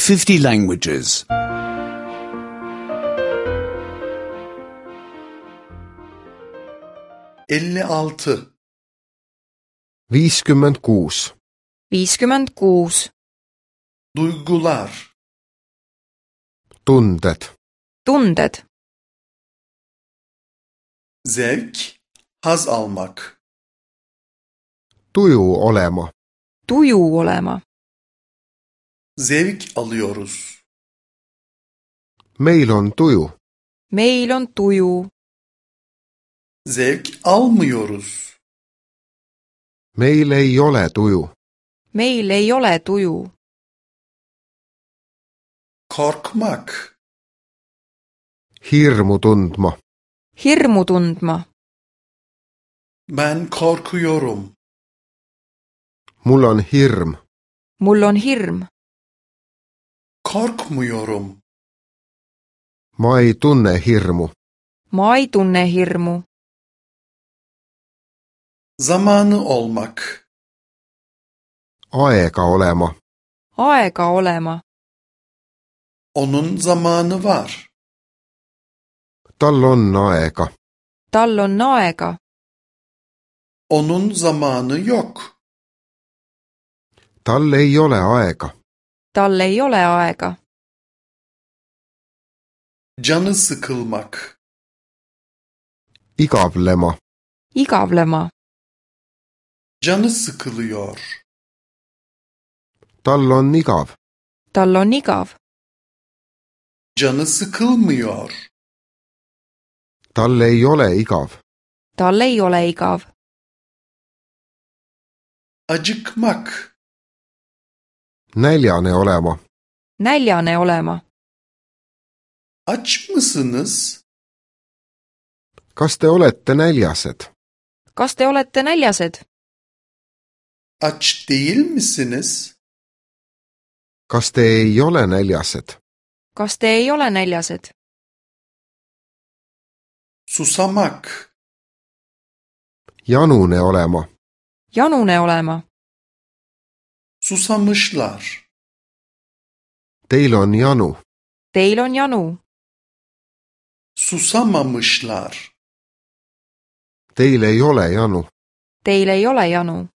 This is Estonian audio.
50 languages. 56 56. 56. Duygular, Tunded. Tunded. zevk, haz almak, Tuju olema. Tuju olema. zevk alıyoruz, Meil on tuju. Meil on tuju. zevk almıyoruz, Meil ei ole tuju. Meil ei ole tuju. korkmak, Hirmu tundma. Hirmu tundma. ben korkuyorum, Mul on hirm. Mul on hirm. korkmuyorum, Ma ei tunne hirmu. Ma ei tunne hirmu. zamanı olmak, Aega olema. Aega olema. onun zamanı var, Tal on aega. Tal on aega. onun zamanı yok, Tal ei ole aega. Tal ei ole aega. canı sıkılmak, Igavlema. Igavlema. canı sıkılıyor, Tal on igav. Tal on igav. canı sıkılmıyor, Tal ei ole igav. Tal ei ole igav. acıkmak, Näljane olema. Näljane olema. aç mısınız? Kas te olete näljased? Kas te olete näljased? Aç değil misiniz? Kas te ei ole näljased? Kas te ei ole näljased? Susamak, Janune olema. Janune olema. susamışlar, Teil on janu. Teil on janu. susamamışlar, Teil ei ole janu. Teil ei ole janu.